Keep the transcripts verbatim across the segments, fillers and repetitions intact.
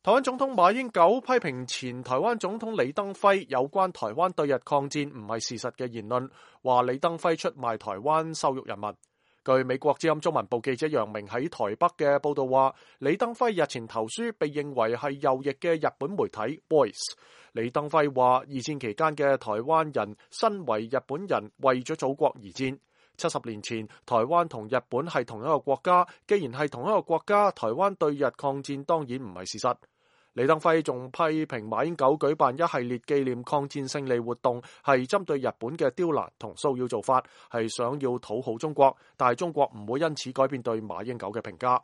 台灣總統馬英九批評前台灣總統李登輝有關台灣對日抗戰唔係事實嘅言論，話李登輝出賣台灣羞辱人民。據美國之音中文部記者楊明喺台北嘅報道話，李登輝日前投書被認為係右翼嘅日本媒體 Voice。李登輝話，二戰期間嘅台灣人身為日本人，為咗祖國而戰。七十年前，台灣同日本係同一個國家，既然係同一個國家，台灣對日抗戰當然唔係事實。李登輝仲批評馬英九舉辦一系列紀念抗戰勝利活動，係針對日本嘅刁難同騷擾做法，係想要討好中國，但係中國唔會因此改變對馬英九嘅評價。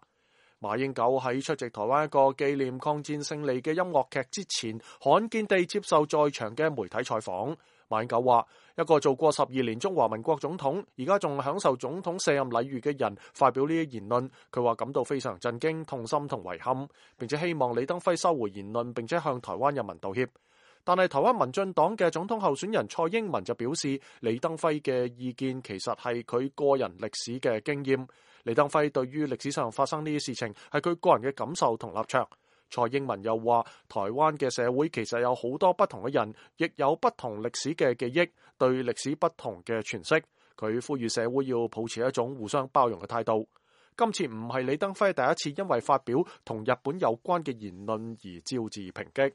馬英九喺出席台灣一個紀念抗戰勝利嘅音樂劇之前，罕見地接受在場嘅媒體採訪。馬英九話：一個做過十二年中華民國總統，而家仲享受總統卸任禮遇嘅人發表呢啲言論，佢話感到非常震驚、痛心同遺憾，並且希望李登輝收回言論，並且向台灣人民道歉。但係台灣民進黨嘅總統候選人蔡英文就表示，李登輝嘅意見其實係佢個人歷史嘅經驗。李登輝對於歷史上發生呢啲事情係佢個人嘅感受同立場。蔡英文又話，台灣嘅社會其實有好多不同嘅人，亦有不同歷史嘅記憶，對歷史不同嘅詮釋。佢呼籲社會要保持一種互相包容嘅態度。今次唔係李登輝第一次因為發表同日本有關嘅言論而招致抨擊。